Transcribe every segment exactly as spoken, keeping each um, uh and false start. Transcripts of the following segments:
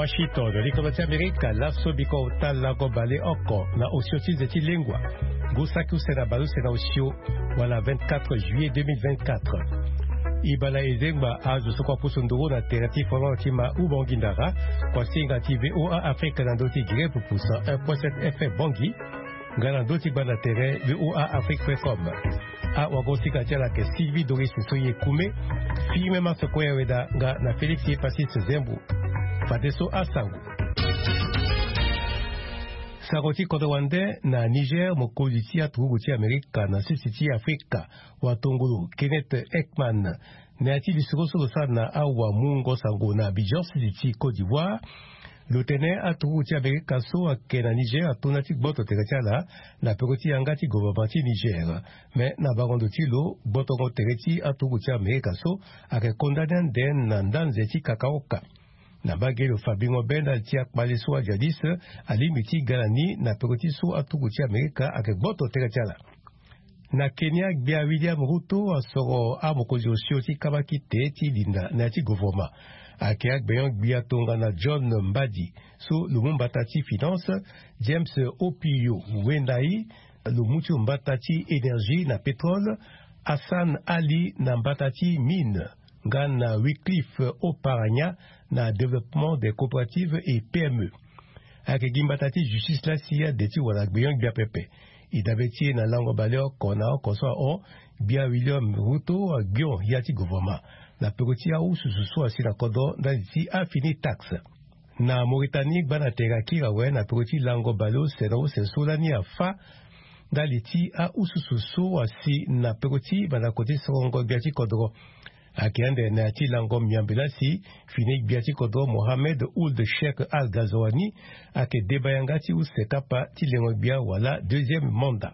Washington, likono ti Amerika, laso biko ota lango baleoko na osio ti nze ti lengua. Ngu saki use na baleuse na osio, wala vingt-quatre juillet deux mille vingt-quatre. Ibala ezengba azo so kua pusu nduru na tere ti folon ti ma ubongi ndara, kua singa ti V O A Afrique na ndö ti Grep pusa un point sept F M Bongi, nga na ndö ti gbanda tere V O A Afrique point com. Awagosinga ti ala ayeke Sylvie Doris Soye Kume, Firmin Max Koya Weda nga na Félix Epasis Zembo. Fadeso asango. Sango ti kodro wande na Niger, mokonzi ti aturugu ti Amerika na sisi ti Afrika, watongolo Kenneth Ekman, na ya ti lisoro so lo sara na awamungo sango na Abidjan, sisi ti Côte d'Ivoire, lo tene aturugu ti Amerika so ayeke na Niger atonda ti gboto tere ti ala na peko ti yanga ti governement ti Niger. Me na bango ndo ti lo, gbotongo tere ti aturugu ti Amerika so ayeke kondani ande na ndanze ti kakaoka. Na mbage lo fa bingo be ndali ti akpale so ajadis alingbi ti ga na ni na peko ti so aturugu ti Amerika ayeke gboto tere ti ala. Na Kenya, gbia William Ruto asoro amokonzi osio ti kabakite ti linda na ya ti govoroma. Ayeke agbenyo-gbia tongana John Mbadi so lo mu mbata ti finance, James Opio Wendai lo mu ti lo mbata ti énergie na pétrole, Hassan Ali na mbata ti mine, nga na Wycliffe Oparanya na développement des coopératives et P M E. Ayeke gi mbata ti justice lasi ade ti wala gbenyo-gbia pepe. E dabe ti e na lango baleoko na oko so ahon, gbia William Ruto agbion ya ti govoroma na peko ti awususu so asi na kodro ndali ti afini taxe. Na Mauritanie, gbanda tere akiri awe na peko ti lango baleuse na use so lani afâ ndali ti awususu so asi na peko ti mandako ti sorongo gbia ti kodro. Ayeke ande na ya ti lango miambe lasi fini gbia ti kodro Mohamed Ould Cheikh Al Ghazouani ayeke deba yanga ti use kapa ti lengo gbia wala deuxième mandat.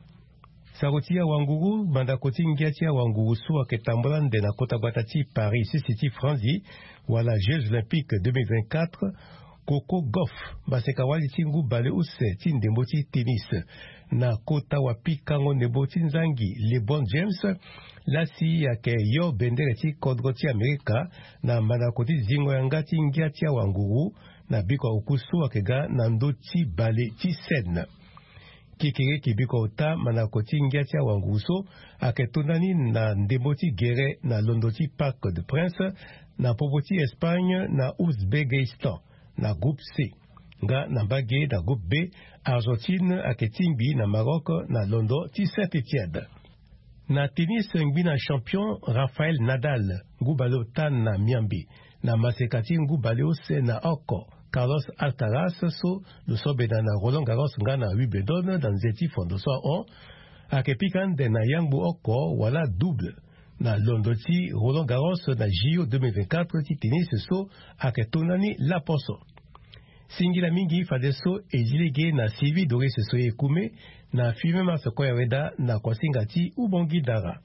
Sango ti awanguru, mandako ti ngia ti awanguru so ayeke tambula ande na kota gbata ti Paris, sisi ti Franzi, wala Jeux Olympiques deux mille vingt-quatre, koko golf, maseka wali ti ngu baleuse ti ndembo ti tennis, na kota wapikango ndembo ti nzangi LeBron James lasi ayeke yo bendere ti kodro ti Amerika na mandako ti zingo yanga ti ngia ti awanguru na biko oku so ayeke ga na ndö ti bale ti Seine. Kekere kibiko ota mandako ti ngia ti awanguru so ayeke tondani na ndembo ti gere na londo ti Parc des Princes na popo ti Espagne na Ouzbékistan na groupe C, nga na mbage na groupe B, Argentine ayeke tingbi na Maroc na londo ti Saint-Étienne. Na tennis, ngbina champion Rafael Nadal, ngu baleota na miambe, na maseka ti ngu baleuse na oko, Carlos Alcaraz so lo so bena na Roland Garros nga na Wimbledon na nze ti fondo so ahon, ayeke pika ande na yangbu oko wala double na londo ti Roland Garros na J O deux mille vingt-quatre ti tennis so ayeke tongani laposo. Singila mingi fadeso e zi lege na Sylvie Doris Soye Kume na Firmin Max Koya Weda na kuasinga ti Ubongi Dara.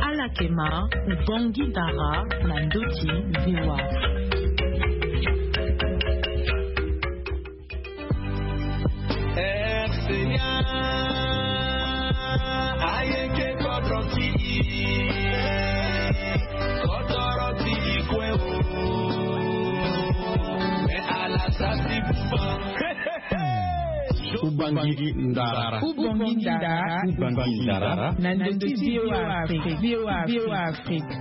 Ala yeke ma Ubongi Dara na ndö ti V O A. R C A, ayeke kodro ti i, kodro ti i kue o. Me ala sa si buba. Ubangi ndara. Ubangi ndara. Ubangi ndara. Na ndö ti V O A Afrique. V O A Afrique.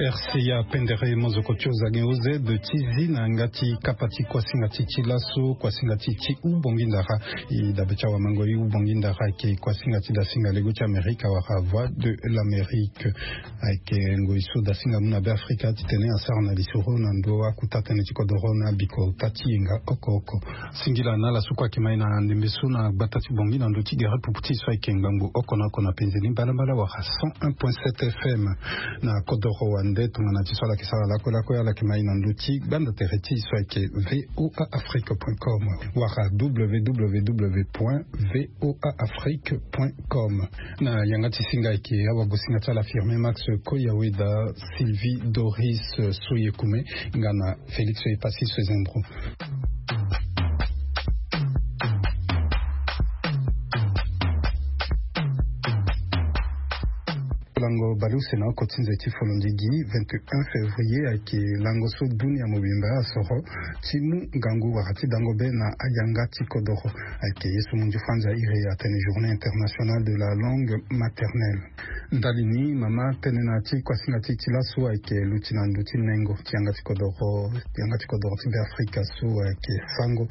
R C A pendere mozoko ti ozagen O Z ti zi na yanga ti kapa ti kuasinga ti ti laso, kuasinga ti ti Ubongi ndara. E dabe ti awamango, e Ubongi ndara ayeke kuasinga ti dasinga lego ti Amerika wala Voix de l'Amérique. Ayeke ngoi so dasinga mu na Beafrika titene asara na lisoro na ndo akota tënë ti kodoro na biko ota ti yenga oko oko. Singila na ala so kue ayeke ma e na ndembe so na gbata ti Bongi na ndö ti gere pupu ti e so ayeke ngbangbo oko na oko na penze ni mbalambala wala cent un point sept F M. Na kodoro wande tongana ti so ala yeke sara lakue lakue, ala yeke ma e na ndö ti gbanda tere ti e so ayeke V O A Afrique point com wala W W W point V O A Afrique point com. Na yanga ti singa ayeke awagosinga ti ala Firmin Max Koyaweda, Sylvie Doris Soyekume nga na Félix Epasis Zembro. Lango baleuse na oko ti nze ti folondigi, vingt et un février ayeke lango so dunia mobimba asoro ti mu ngangu wala ti dango be na ayanga ti kodoro. Ayeke ye so munzu franza iri atene journée internationale de la langue maternelle. Ndali ni mama tene na ti kuasinga ti ti laso ayeke luti na ndö ti nengo ti yanga ti kodoro, yanga ti kodoro ti be afrika so ayeke sango.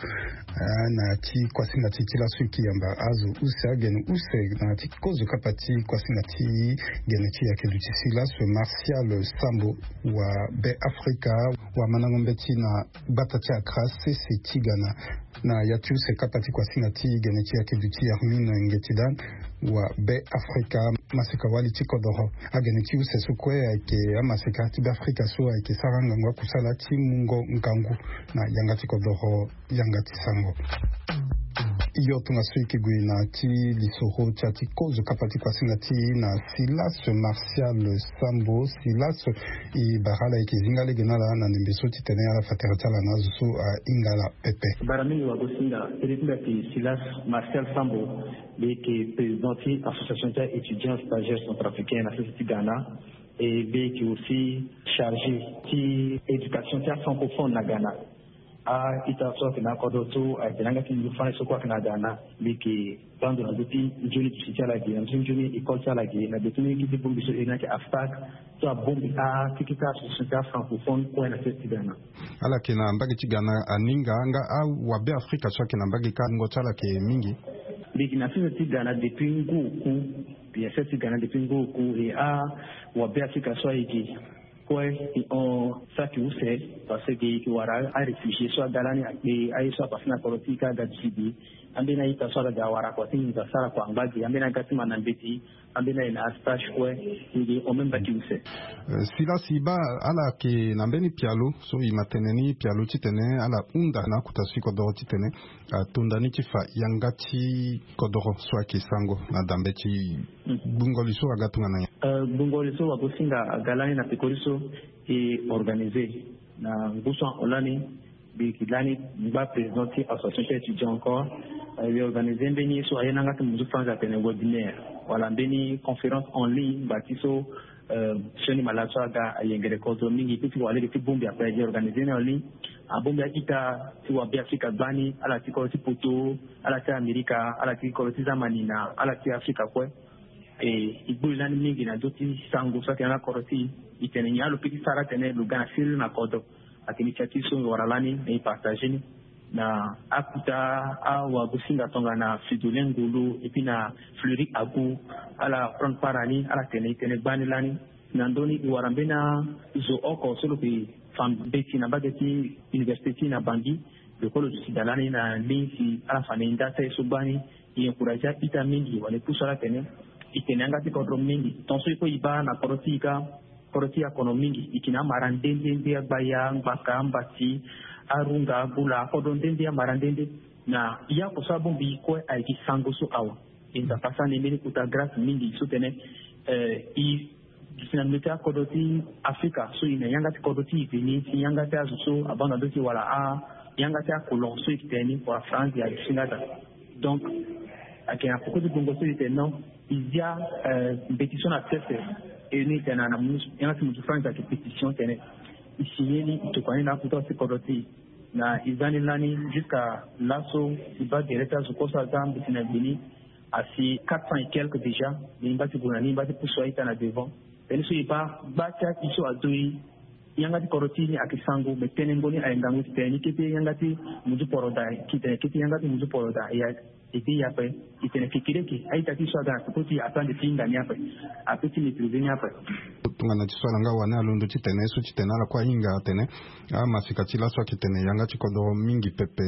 Na ti kuasinga ti ti laso eke yamba azo use agene use na ti kozo kapa ti kuasinga ti gene ti yake duti silas martial sambo, wa be afrika, wa mandango mbeti na gbata ti akra sese ti gana. Na ya ti use kapa ti kuasinga ti gene ti yake duti armin ngeti dan, wa be afrika. Maseka wali ti kodoro, agene ti use so kue ayeke amaseka ti be afrika so ayeke sara ngangu akusala ti mungo ngangu na yanga ti kodoro, yanga ti sango. Yo tongaso eke gue na ti lisoro ti ya ti kozo kapa ti kuasinga ti na silas martial sambo. Silas, e bara ala eke zinga lege na ala na ndembe so ti tene ala fa tere ti ala na azo so ahinga ala pepe. Bara mingi wagosinga tene ti mbi ayeke silas martial sambo. Mbi yeke président ti association ti aétudiant stagiaire centrafricain na sese ti ghana. E mbi yeke aussi chargé ti éducation ti afrancophone na ghana. A-ita so ayeke na akodro so ayeke na yanga ti nzoni fani so kue ayeke na ghana. Mbi yeke bando na ndö ti nzoni duti ti ala ge na ndö ti nzoni école ti ala ge na be ti mingi ti bongbi so e na yeke aftak so abongbi akeke ti association ti afrancophone kue na sese ti ghana. Ala yeke na mbage ti ghana aninga nga awabe afrika so ayeke na mbage ka wungo ti ala ayeke mingi. Mbi yeke na sese ti ghana depuis ngu oku. Mbi na sese ti ghana depuis ngu oku e awabe afrika so ayeke kue e hon saki use. Parce que e yeke wara aréfugié so aga lani akpe aye so apase na kodro ti e ka aga duti gi. Ambeni a-ita so ala ga awara kua ti nginza so ala kua angba gi ambeni aga ti ma na mbeti. Ambeni aye na astage kue. Ngi o même baki use. Silas, e baa ala yeke na mbeni pialo so e ma tene ni pialo titene ala hunda na akota so e kodoro titene atonda ni ti fa yanga ti kodoro so ayeke sango na dambe ti gbungo li so aga tongana nyen? Gbungo li so wagosinga aga lani na pekori so e organisé na ngu so ahon lani. Mbi yeke lani ngba président ti association ti étudiant encore. E organisé mbeni ye so aye na yanga ti munzu franza atene webinaire wala mbeni conférence en ligne ngba ti so sioni malade so aga ayengere kodro mingi ti ti wara lege ti bongbi ape e organisé ni en ligne. Abongbi a-ita ti wabe afrika gbani ala ti kodro ti poto, ala ti amerika, ala ti kodro ti zamani na ala ti afrika kue. E e gbu li lani mingi na ndö ti sango so ayeke na kodro ti e. E tene nyen alo pe ti sara atene lo ga na siriri na kodro. Ayeke initiative so mbi wara lani na e partage ni na akuta awagosinga tongana fridolin ngolo et puis na fleuri agu. Ala prendre part na ni ala tene e tene gbani lani. Na ndö ni e wara mbeni azo oko so lo yeke fa mbeti na mbage ti université ti e na bangi. Lo kue lo duti da lani na ligne si ala fa na e nda ti aye so gbani. E encouragé a-ita mingi wala e pusu ala atene e tene yanga ti kodro mingi. Tongaso e kue e baa na kodro ti e ka kodro ti e akono mingi. E yeke na amara nde nde nde agbaya angbaka ambati arunga agola akodro nde nde amara nde nde. Na ya oko so abongbi e kue ayeke sango so awe. E nzapa sara na e mbeni kota grâce mingi so tene e duti na ndö ti akodro ti afrika so e na yanga ti kodro ti e veni si yanga ti azo so abaa na ndö ti e wala a yanga ti akolon so e yeke tene ni wala france e aduti nga daa. Donc ayeke na poko ti gbongo so e tene non. E zia mbeti so na sese. E ni e tene na yanga ti munzu franza ayeke pétition tene e signé ni e tokua ni na akota ti kodro ti e. Na e za ni lani jusqu'à laso e baa gere ti azo kue so aza mbeti na gbe ni asi quatre cents et quelques déjà. Ni e ngba ti gue na ni e ngba ti pusu a-ita na devant. Tënë so e baa gba ti aki so azo e yanga ti kodro ti e ni ayeke sango me tënë ngo ni aye ngangu ti tene ni kete yanga ti munzu poro daa. Kete yanga ti munzu poro daa. E de e ape e tene kekereke a-ita ti so aga na peko ti e ape ande ti hinga ni ape. Ape ti maîtrisé ni ape. Tongana ti so ala nga wani alondo ti tene so ti tene ala kue ahinga atene amasika ti laso ayeke tene yanga ti kodoro mingi pepe.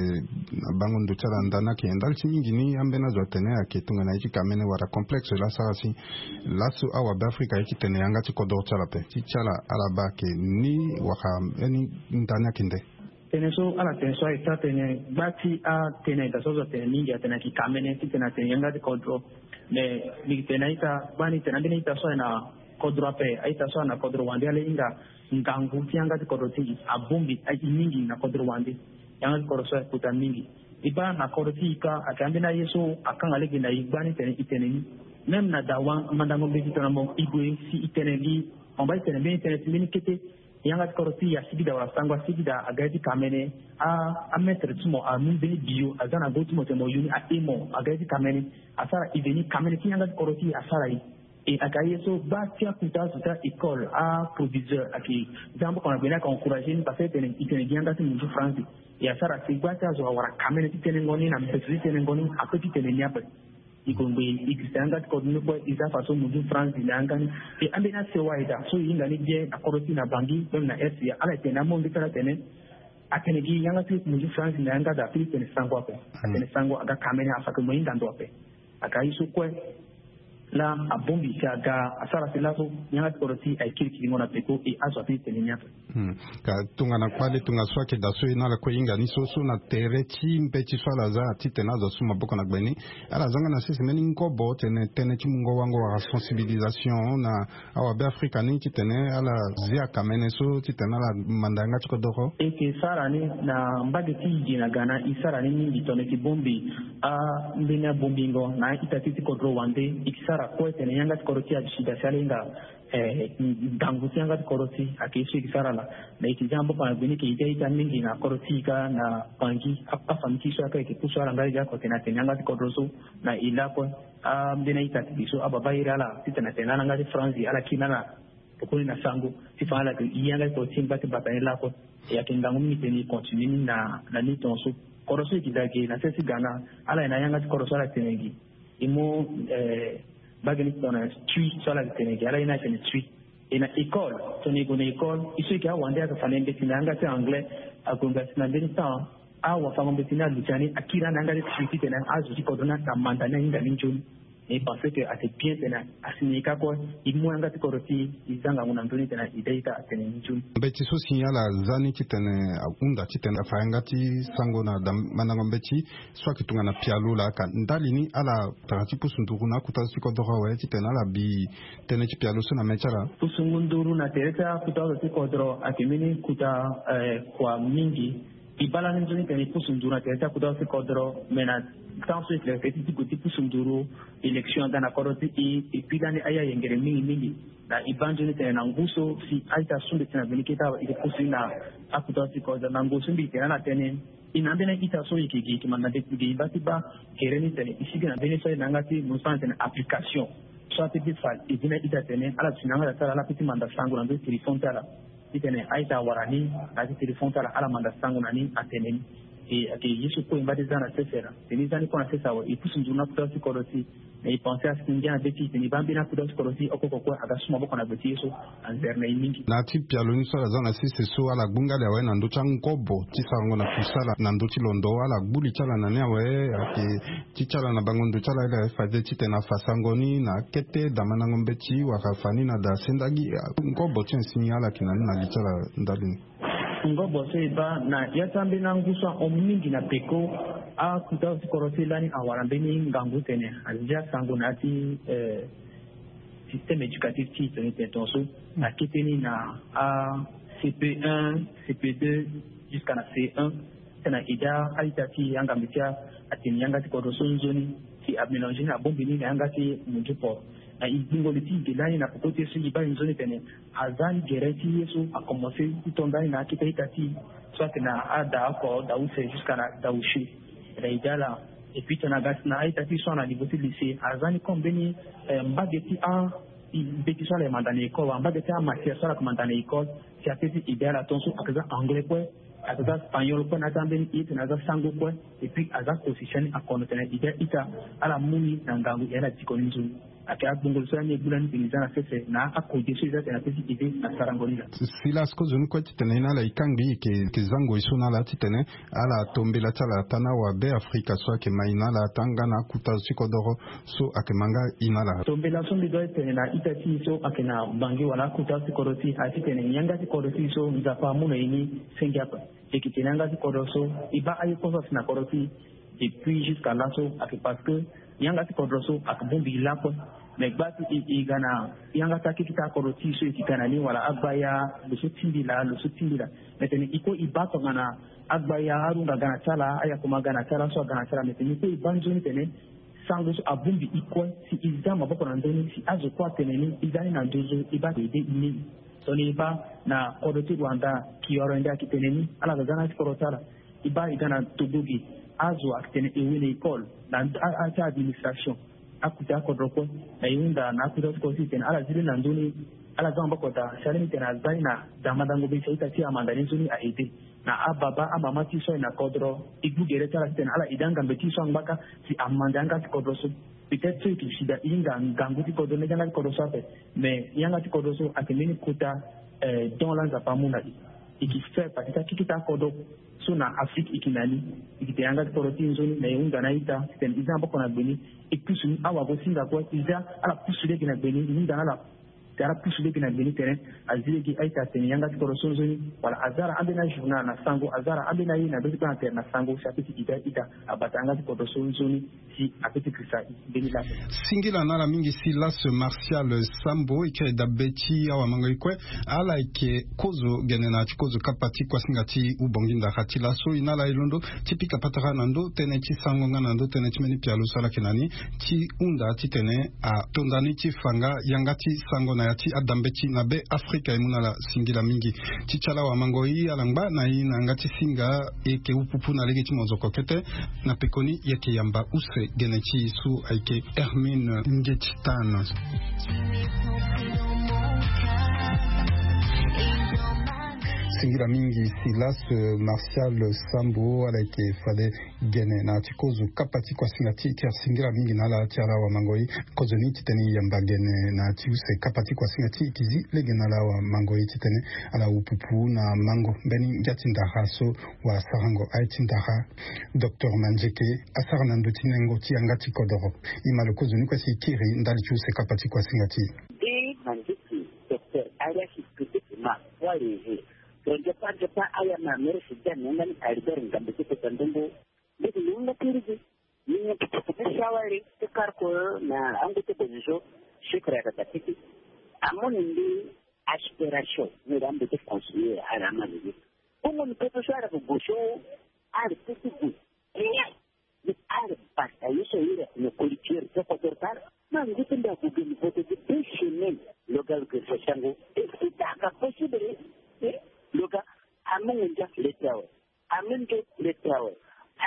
Na bango ndo ti ala nda ni ayeke ndali ti mingi ni ambeni azo atene ayeke tongana ye ti kamene wala complexe laso ala si laso awabe afrika ye ti tene yanga ti kodoro ti ala ape ti ti ala ala baa ayeke ni wala mbeni nda ni ayeke nde. Tënë so ala tene so aye ti atene gba ti atënë aye daa so azo atene mingi atene ayeke kamene titene atene yanga ti kodro. Mais mbi yeke tene na a-ita gbani tene ambeni a-ita so aye na kodro ape a-ita so aye na kodro wande ala hinga ngangu ti yanga ti kodro ti e abongbi aye mingi na kodro wande. Yanga ti kodro so aye kota mingi. E baa na kodro ti e ka ayeke ambeni aye so akanga lege na e gbani tene e tene ni. Même na dawa mandango mbeti tongana mo e gue si e tene gi, mo baa e tene mbeni tene ti mbeni kete. Yanga ti kodro ti e asigi daa wala sango asigi daa aga ye ti kamene. Amaître ti mo amu mbeni bio aza na go ti mo tene mo yoni ahe mo aga ye ti kamene. Asara e veni kamene ti yanga ti kodro ti e asara e. E aga ye so baa ti akuta azo ti a-école aproviseur ayeke za mboka na gbe ni ayeke encourager ni parce que e tene e tene gi yanga ti munzu france. E asara si gba ti azo awara kamene ti tenengo ni na mbeto ti tenengo ni ape ti tene ni ape. E kongbe e girisa yanga ti kodro ni kue e za faso munzu france na yanga ni. E ambeni asewa e daa so e hinga ni bien na kodro ti e na bangi même na rca ala e tene na monge ti ala tene. Atene gi yanga ti munzu france na yanga daa ape ti tene sango ape. Atene sango aga kamene afake mo hinga ndo ape. Aga ye so kue. Laa abongbi si aga asara si laso yanga ti kodro ti e aye kiri kiringo na peko e azo ape ti tene ni ape. Ka tongana kpale tongana so ayeke daa so e na ala kue e hinga ni so so na tere ti mbeti so ala za titene azo asu maboko na gbe ni. Ala za nga na sese mbeni ngobo tene tënë ti mungo wango wala sensibilisation na awabe afrika ni titene ala zia kamene so titene ala manda yanga ti kodoro. E yeke sara ni na mbage ti e gi na ga na e sara ni mingi tongana e yeke bongbi ambeni abongbingo na a-ita ti e ti kodro wande. E yeke sara kue tene yanga ti kodro ti e aduti da si ala hinga ngangu ti yanga ti kodro ti e ayeke ye so e yeke sara laa. Na e yeke za mboka na gbe ni e yeke ita ita mingi na kodro ti e kâ na pangi. Afami ti e so ayeke pusu ala nga e za oko tene atene yanga ti kodro so na e lakue. Ambeni a-ita ti e so ababa iri ala titene atene ala nga ti franzi ala kiri na ala. Tokoni na sango ti fa ala yeke e yanga ti kodro ti e ngba ti bata ni lakue. E ayeke ngangu mingi tene e continue ni na na ni tongaso. Kodro so e yeke daa ge na sese ti ga na ala ye na yanga ti kodro so ala tene gi. E mu mbage ni tongana tui so ala tene gi ala ye ni atene tui. E na école tongana e gue na école e so e yeke awande ayeke fa na e mbeti na yanga ti anglais. Ague ngba si na mbeni temps awafango mbeti ni aluti ani akiri ani na yanga ti tui titene azo ti kodro ni ake amanda ni ahinga ni nzoni. E pense que ate bien tene asi na e kâ kue. E mu yanga ti kodro ti e e za ngangu na ndö ni tene e dä ita atene ni nzoni. Mbeti so si ala za ni titene ahunda titene afa yanga ti sango na mandango mbeti so ayeke tongana pialo laa ka ndali ni ala tara ti pusu nduru na akuta so ti kodoro awe titene ala bi tënë ti pialo so na mê ti ala. Pusu ngu nduru na tere ti akuta so ti kodoro ayeke mbeni kuta kua mingi. E baa lani nzoni tene e pusu nduru na tere ti akuta so ti kodoro me na temps so e tene ti ti gue ti pusu nduru élection aga na kodro ti e. E pi lani aye ayengere mingi mingi. Na e baa nzoni tene na ngu so si a-ita so mbi tene na mbeni kete awe e yeke pusu ni na akuta so ti kodoro na ngu so mbi tene ala tene. E na ambeni a-ita so e yeke gi e yeke manda mbeti gi e baa ti baa kere ni tene e sigi na mbeni so aye na yanga ti mo so atene application. So ape ti fa e gi na a-ita tene ala duti na yanga daa ti ala ala pe ti manda sango na ndö ti téléphone ti ala. Titene a-ita awara ni na ya ti téléphone ti ala ala manda sango na ni atene ni. E ayeke ye so kue e ngba ti za na sese laa. Tene e za ni kue na sese awe e pusu nzoni na kota ti kodro ti e. Mais e pense asi ngia na be ti e tene e baa mbeni akuta ti kodro ti e oko oko kue aga su maboko na gbe ti ye so. Anzere na e mingi. Na ya ti pialo ni so ala za na sese so ala gbu nga ali awe na ndö ti angobo ti sarango na kusala na ndö ti londo ala gbu li ti ala na ni awe. Ayeke ti ti ala na bango ndo ti ala ala faze titene afa sango ni na akete da mandango mbeti wala afa ni na da sendagi. Ngobo ti ansi ni ala yeke na ni na li ti ala ndali ni. Ngobo so e baa na ya ti ambeni angu so ahon mingi na peko. Akuta ti kodro ti e lani awara mbeni ngangu tene azia sango na ya ti système éducatif ti e tene tene tongaso. Na kete ni na a cp un, cp deux, jusqu'à na c un. Tena e daa a-ita ti e angambe ti atene yanga ti kodro so nzoni si amélange ni abongbi ni na yanga ti munzu port. Na e gbingo li ti e ge lani na peko ti e so e baa e nzoni tene aza ni gere ti ye so akomense ti to ndani na akete a-ita ti e so ayeke na ada oko da use jusqu'à na da use. Na e daa laa. Et puis tena aga si na a-ita ti e so ana niveau ti lycée aza ni comme mbeni mbage ti a mbeti so ala yeke manda na école wala mbage ti amatière so ala yeke manda na école. Si ape ti e daa laa tongaso ayeke za anglais kue. Ayeke za spagnol kue na ya ti ambeni e tena aza sango kue. Et puis aza kosi si ani akono tena e daa ita ala mu ni na ngangu e ala diko ni nzoni. Ayeke agbongo li so lani e gbu lani tene e za na sese na akode so e za tena ape ti e de na sarango ni laa. Silas kozoni kue titene e na ala e kangbi e yeke za ngoi so na ala titene ala tombela ti ala ata na awabe afrika so ayeke ma e na ala ata nga na akuta zo ti kodoro so ayeke ma nga e na ala. Tombela so mbi doit tene na ita ti e so ayeke na bangi wala akuta ti kodro ti e aye titene yanga ti kodro ti e so nzapa amu na e ni. Senge ape. E yeke tene yanga ti kodro so e baa aye kue so asi na kodro ti e. Et puis jusqu'à laso ayeke parce que yanga ti kodro so ayeke bongbi e lakue. Mais gba ti e e ga na yanga ti akekita akodro ti e so e yeke ga na ni wala agbaya lo so tingbi laa lo so tingbi laa. Mais tene e kue e baa tongana agbaya arunga aga na ti ala ayakoma aga na ti ala so aga na ti ala mais tene e kue e baa nzoni tene Sango so abongbi e kue si e za maboko na ndö ni si azo kue atene ni e za ni na nduzu e baa ede e ni. Tongana e baa na kodro ti Rwanda, Kioro ende ayeke tene ni ala za za na ya ti kodro ti ala. E baa e ga na Togo ge, azo ayeke tene e wene école na a- a- ti administration. Akute akodro kue na e hunda na akute ti kodro so e tene ala zi lani na ndö ni. Ala za maboko daa si alingbi tene aza ni na da mandango be si a-ita ti amanda ni nzoni a-ede. Na ababa amama ti e so aye na kodro, e gbu gere ti ala titene ala ede angambe ti e so angbaka si amanda yanga ti kodro so. Peut-être so e ke si daa e hinga ngangu ti kodro ndege yanga ti kodro so ape. Mais yanga ti kodro so ayeke mbeni kota don la Nzapa amu na e. E ke faire partie ti akeketa akodro so na Afrique e ke na ni. E ke tene yanga ti kodro ti e nzoni na e hunda na a-ita titene e za maboko na gbe ni. E pusu ni awagosinga kue e za ala pusu lege na gbe ni e hunda na ala. Te ala pusu lege na gbe ni tene azi lege a-ita atene yanga ti kodro so nzoni. Wala aza ala ambeni ajournal na sango, aza ala ambeni aye na be ti kpâ na tere na sango si ape ti ita ita abata yanga ti kodro so nzoni si ape ti krisa e mbeni laa. Singila na ala mingi si Las Martial Sambo e kiri dabe ti awamango e kue. Ala yeke kozo gene na ya ti kozo kapa ti kuasinga ti ubongi ndara ti laso e na ala e londo ti pika patara na ndö tënë ti sango nga na ndö tënë ti mbeni pialo so ala yeke na ni ti hunda titene atonda ni ti fa nga yanga ti sango na ya ti adambeti na be Afrika e mu na ala singila mingi. Ti ti ala wamango e ala ngba na e na yanga ti singa e yeke upupu na lege ti mozoko kete. Na pekoni e yeke yamba use gene ti e so ayeke Hermine Ngeti Tana. Singila mingi Silas Martial Sambo ala yeke fade gene na ya ti kozo kapa ti kuasinga ti e. Ti asingila mingi na ala ti ala wamango e. Kozo ni titene e yamba gene na ya ti use kapa ti kuasinga ti e e ke zi lege na ala wamango e titene ala upupu na mango mbeni ngia ti ndara so wasarango aye ti ndara. Docteur Manzeke asara na ndö ti nengo ti yanga ti kodoro. E ma lo kozo ni kue si e kiri ndali ti use kapa ti kuasinga ti e. Docteur Arias Kudukuma Wareze. Tonze pa nze pa aya ma mere si dan nanga ni Albert Ngambe ti kota ndongo. Beti ni nga kiri gi ni nga ti kota ti shawari ti karko na angu ti bozizo. Shukra ya tata titi. Amoni ndi aspiration ni rambe ti conseiller ala amani ni. Bongo ni pepe so ala ko gosho ala titi gu. Ni ala basta ye so ira ni collecteur so kodoro tara. Ma ngu ti mbi agu geni vote ti deux semaines. Lo ga lo geri so sango. Est-ce que ça ka possible? Lo ga amu ngu ndia le ti awe. Amu ndo le ti awe.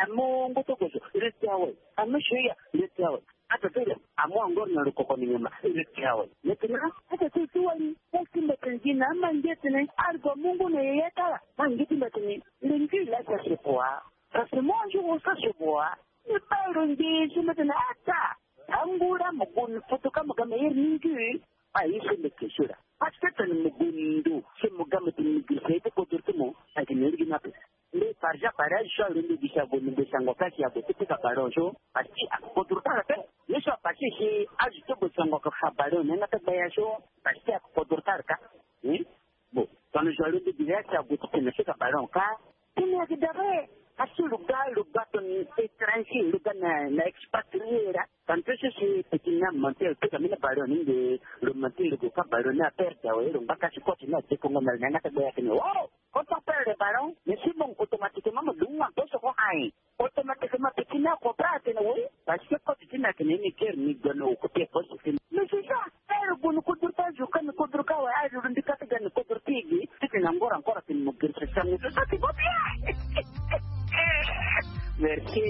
Amu ngu ti kozo le ti awe. Amu shoya le ti awe. Ata ti lo amu angor na lo koko ni nyama le ti awe. Maintenant ata ti ti wali. Est-ce que mbi tene gi na ama nge tene algo mungu na yeye tara. Ma nge ti mbi tene le ngi la sa se quoi? Parce que moi un jour on sa se boa. Ni bairo nge si mbi tene ata. Angura mo gon foto ka mo ga me yer ni ngi. Ayi so mbi ke sura. Parce que tene mo gon ndo si mo ga me tene ngi se te kodoro ti mo. Agi ne ri gi na pe. Mbi parja pare azo so alondo gi si ago ni mbi sango ka si ago ti pika ballon so. Parce que akodoro tara pe. Ye so apasse si azo ti bo sango ka fa ballon ni anga ta gbaya so. Parce que akodoro tara ka. Bon, tongana zo alondo gi na ya si ago ti tene na seka ballon ka. Tene ayeke dabe. Asi lo ga lo ga tongana étranger lo ga na na expatrié ra. Tantôt so si petit ni amonté lo pika mbeni ballon ni nde lo monté lo gue ka ballon ni aperde awe lo ngba kasi coach ni adekongo na lo na yanga ti agbe ayeke ni o. Quand on perd le ballon mais si bon automatiquement mo dungu na poso ko aye. Automatiquement petit ni acomprendre atene oui. Parce que coach ti ni ayeke na ye ni guerre ni gue na occupé poste ti ni. Mais c'est ça. Ere gue ni kodro ti azo ka ni kodro ka awe aye lo lo mbi ka ti ga ni kodro ti e ge. Titene angora encore atene mo guerre c'est ça mais c'est ça qui va bien. Merci.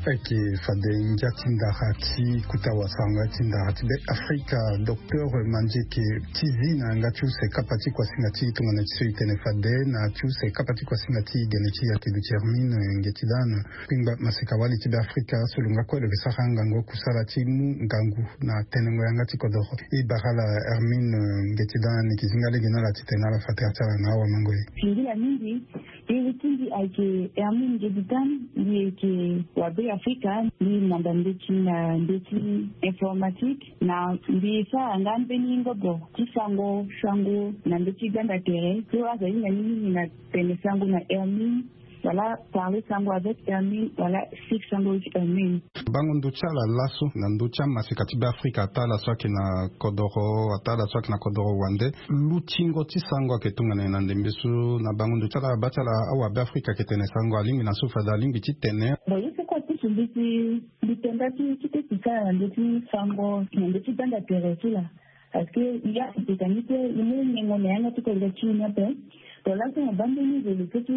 Ok. Fade ngia ti ndara ti kuta wasango ti ndara ti be Afrika. Docteur Manzeke ti zi na yanga ti use kapa ti kuasinga ti e tongana ti so e tene fade na ya ti use kapa ti kuasinga ti e gene ti e ayeke duti Hermine Ngeti Dan. Kpingba maseka wali ti be Afrika so lo nga kue lo yeke sara ngangu kusala ti mu ngangu na tenengo yanga ti kodoro. E bara ala Hermine Ngeti Dan ni yeke zi nga lege na ala titene ala fa tere ti ala na awamango e. Singila mingi. Iri ti mbi ayeke Hermine Ngedi Dan. Mbi yeke wa be Afrika. Mbi manda ndeti na ndeti informatique. Na mbi sara nga mbeni ngobo ti sango sango na ndeti gbanda tere so azo ahinga ni mingi na tene sango na Hermine. Wala parler sango avec Hermine wala sik sango with Hermine. Bango ndo ti ala laso na ndo ti amaseka ti be Afrika ata ala so ayeke na kodoro ata ala so ayeke na kodoro wande. Lutingo ti sango ayeke tongana nyen na ndembe so na bango ndo ti ala baa ti ala awa be Afrika ayeke tene sango alingbi na so fade alingbi ti tene. Bon ye so kue ti Mbi si mbi tonda ti ti ti sara na ndö ti sango na ndö ti gbanda tere ti la. Parce que i ya ti peka ni pe i mu nengo na yanga ti kodro ti i ni ape. To laso na bande ni zo lo so ti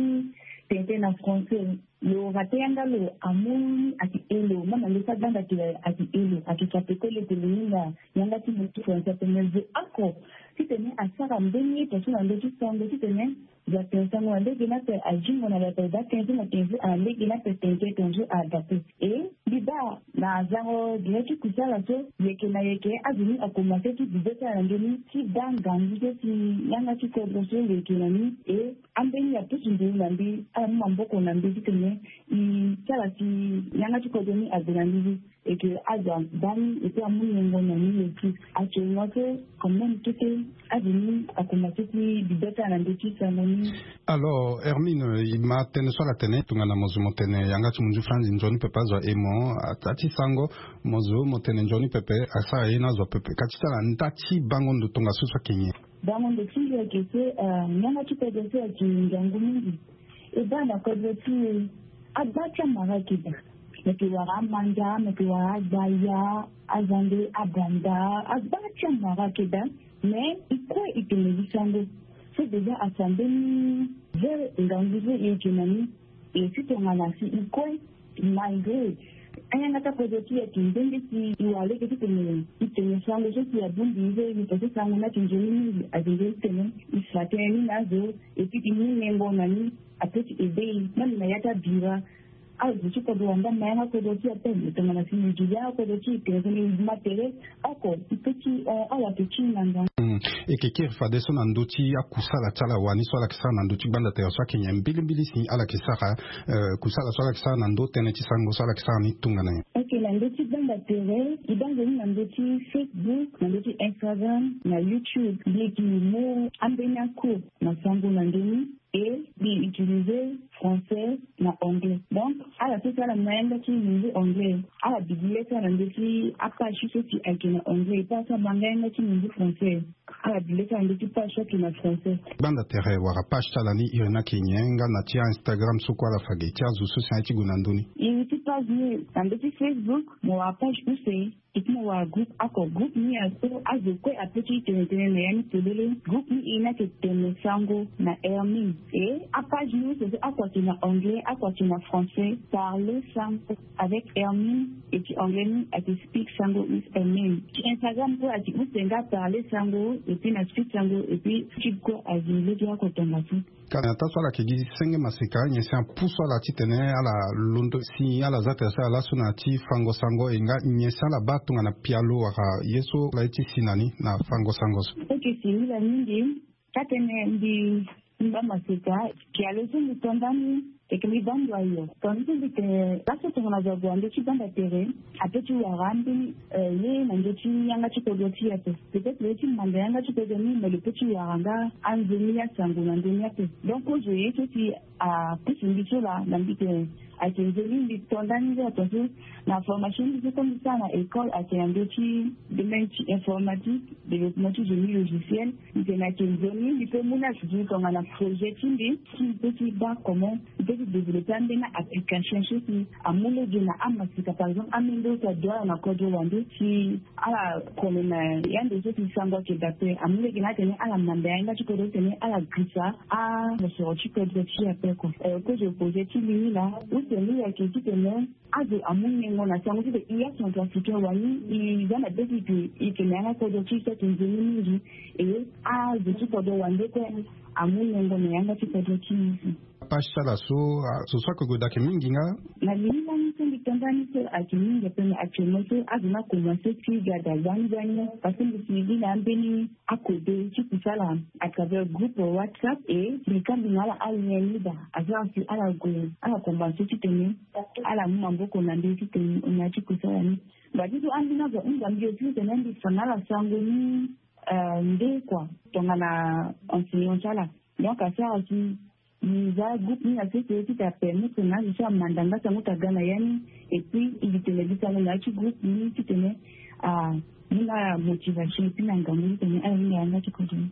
tente na français. Lo rate yanga lo amu ni ati elo ma na ndö ti agbanda tere ati elo ati kape kole tele ni na yanga ti ndö ti français ape me zo oko. Titene asara mbeni ye to so na ndö ti sango titene Za ten sango na lege na pe azingo na lata eza ten zo na ten zo a lege na pe ten zo ten zo a dape. E mbi baa na zango gere ti kusala so yeke na yeke azo ni akomanse ti bibe ti ala na ndö ni ti baa ngangu so si yanga ti kodro so lo yeke na ni. E ambeni apusu nduru na mbi ala mu maboko na mbi titene i ti ala si yanga ti kodro ni ague na mbi. Eke azo abaa ni eke amu niongo na ni eke acongo so quand même kete azo ni akomanse ti bibe ti ala na ndö ti sango ni. Alors Hermine, i ma tënë so ala tene tongana mo zo mo tene yanga ti munzu franzi nzoni pepe azo aye mo ata ti sango mo zo mo tene nzoni pepe asara ye ni azo pepe ka ti ti ala nda ti bango ndo tongaso so ayeke nyen? Bango ndo ti ngia ayeke so yanga ti kodro so ayeke ngangu mingi. E baa na kodro ti e agba ti amara ayeke daa. Meke wara amanda meke wara agbaya azande abanda agba ti amara ayeke daa. Mais i kue i tene gi sango so déjà afa mbeni ve ngangu so i yeke na ni. E si tongana si i kue malgré ayanga ti akodro ti e ayeke ndenge si i wara lege titene i tene sango so si abongbi i so i tene so sango ni ayeke nzoni mingi ayeke nzoni titene i fa tënë ni na azo. Et puis i mu nengo na ni ape ti aide i même na ya ti abira. Azo ti kodro wanda ma yanga kodro ti ape me tongana si i gi yanga kodro ti i tene so ni i ma tere. Oko i pe ti hon ala yeke ti na ngangu. Eke kiri fadeso na ndö ti akusala ti ala wani so ala yeke sara na ndö ti gbanda tere so ayeke nyen mbilimbili si ala yeke sara? Kusala so ala yeke sara na ndö tënë ti sango so ala yeke sara ni tongana nyen? Eke na ndö ti gbanda tere i baa nzoni na ndö ti Facebook na ndö ti Instagram na YouTube mbi yeke mu ambeni akour na sango na ndö ni. E mbi utiliser français na anglais donc ala so si ala ma yanga ti munzu anglais ala bidi le ti ala na ndö ti apage so si ayeke na anglais e pas so abanga yanga ti munzu français. Ala bidi le ti ala na ndö ti page so ayeke na français. Gbanda tere wala page ti ala ni iri ni ayeke nyen nga na ti a-Instagram so kue ala fa ge ti azo so si aye ti gue na ndö ni? Iri ti page ni na ndö ti Facebook mo wara page use. Eke mo wara groupe oko groupe ni aso azo kue ape ti tene tënë na ya ni polele. Groupe ni e ni ayeke tene sango na Hermine. E apage ni use so oko ayeke na anglais oko ayeke na français. Parler sango avec Hermine. E ti anglais ni ayeke speak sango with Hermine. Ti Instagram kue ayeke use nga parler sango. Et puis na speak sango et puis ti kue azi lege oko tongaso. Ka na ya ta so ala yeke gi senge maseka nyen si apusu ala titene ala londo si ala za tere so ala laso na ya ti fango sango e nga nyen si ala baa tongana pialo wala ye so ala ye ti si na ni na fango sango so? Oke si ngi la mingi. Ka tene mbi mbi baa maseka. Pialo so mbi to ndani eke mbi baa ndo ayo. Tongana so mbi tene laso tongana zo ague na ndö ti gbanda tere ape ti wara ambeni ye na ndö ti yanga ti kodro ti e ape. Peut-être lo ye ti manda yanga ti kodro ni me lo pe ti wara nga anzoni asango na ndö ni ape. Donc kozo ye so si apusu mbi so laa na mbi tene ayeke nzoni mbi to ndani nde ato so na formation mbi so so mbi sara na école ayeke na ndö ti domaine ti informatique développement ti génie logiciel. Mbi tene ayeke nzoni mbi pe mu ni asisi tongana projet ti mbi si mbi pe ti baa comment mbi pe ti développer ambeni application so si amu lege na amasika par exemple amendo so adoit ala na kodro wande si ala kone na yande so si sango ayeke dape amu lege na atene ala manda yanga ti kodro titene ala girisa amosoro ti kodro ti e ape kua. Kozo projet ti mbi ni laa use ni ayeke titene azo amu nyengo na sango ti tene i acentrafricain wani i za na be ti tene i tene yanga kodro ti so ayeke nzoni mingi. E azo ti kodro wande kue amu nyengo na yanga ti kodro ti i. Page ti ala so so so ayeke gue daa ayeke mingi nga. Na lili lani so mbi to ndani so ayeke mingi ape me actuellement so azo ni akomanse ti ga daa gbani gbani parce que mbi si gi na ambeni akode ti kusala à travers groupe whatsapp. E mbi kambi na ala alien libre asara si ala gue ala komanse titene ala mu maboko na mbi titene na ya ti kusala ni. Ngba ti so ambeni azo ahunda mbi aussi titene mbi fa na ala sango ni nde kua tongana enseignant ti ala. Donc asara si mbi za groupe ni na sese ti ta permettre na azo so amanda nga sango ta ga na ya ni. Et puis mbi tene mbi sango na ya ti groupe ni titene a Ni na motivation epi na ngangu ni tene ala hinga yanga ti kodro ni.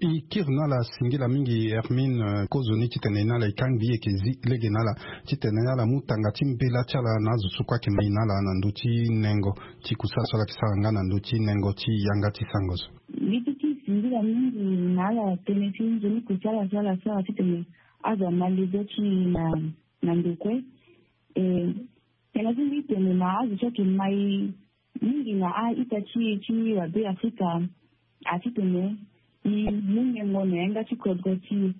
E kiri na ala singila mingi Hermine, eh, kozoni titene na ala e kangbi e yeke zi lege na ala titene ala mu tanga ti mbela ti ala na azo so kue ayeke mai na ala na ndö ti nengo ti kusala so ala yeke sara nga na ndö ti nengo ti yanga ti sango so. Mbi ti ti singila mingi na ala tënë ti nzoni kusala so ala sara titene azo ama lego ti e na, na ndo kue. E, tënë ti mbi tene na azo so ayeke mai mingi na a-ita ti e ti wabe Afrika, a titene e mu nyengo na yanga ti kodro ti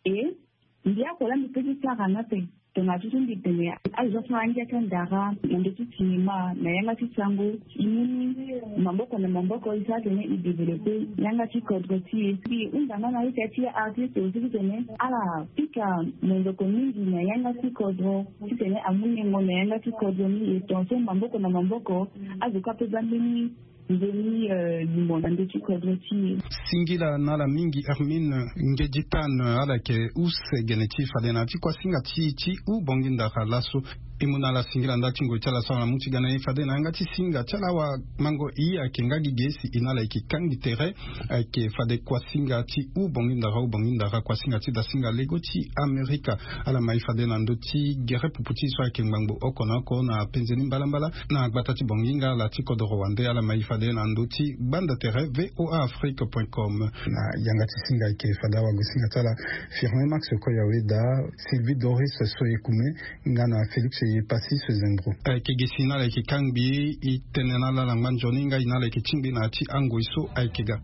e. E, mbi oko laa mbi peut ti sara ni ape. Tongana ti so mbi tene azo so asara angia ti andara na ndö ti sinema na yanga ti sango, e mu ni maboko na maboko e sara tene e développer yanga ti kodro ti e. Mbi hunda nga na a-ita ti a-artiste aussi titene ala pika monzoko mingi na yanga ti kodro titene amu nyengo na yanga ti kodro ni. E tongaso maboko na maboko azo kue ape baa mbeni nzoni, eh, limo na ndö ti kodro ti e. Singila na ala mingi Hermine Ngedi Tane, eh, ala yeke use gene ti e fade na ti kuasinga ti e ti hou Bangui Ndara laso. E mu na ala singila ndali ti ngoi ti ala so ala mu ti ga na e fade na yanga ti singa ti ala awamango e ayeke nga gi ge si e na ala e yeke kangbi tere. Ayeke fade kuasinga ti hou Bangui Ndara, hou Bangui Ndara, kuasinga ti dasinga lego ti Amerika. Ala mai fade na ndö ti gere pupu ti e so ayeke ngbangbo oko na oko na penze ni mbalambala na gbata ti Bangui nga ala ti kodoro wande. Ala mai fade na ndö ti gbanda tere V O A Afrique point com. Na yanga ti singa ayeke fade awagosinga ti ala Firmin Max Koyaweda, Sylvie Doris Soyekume nga na Félix Yepassi Sezendro. Ayeke gi si na ala yeke kangbi e tene na ala na ngba nzoni nga e na ala yeke tingbi na ya ti angoi so ayeke ga.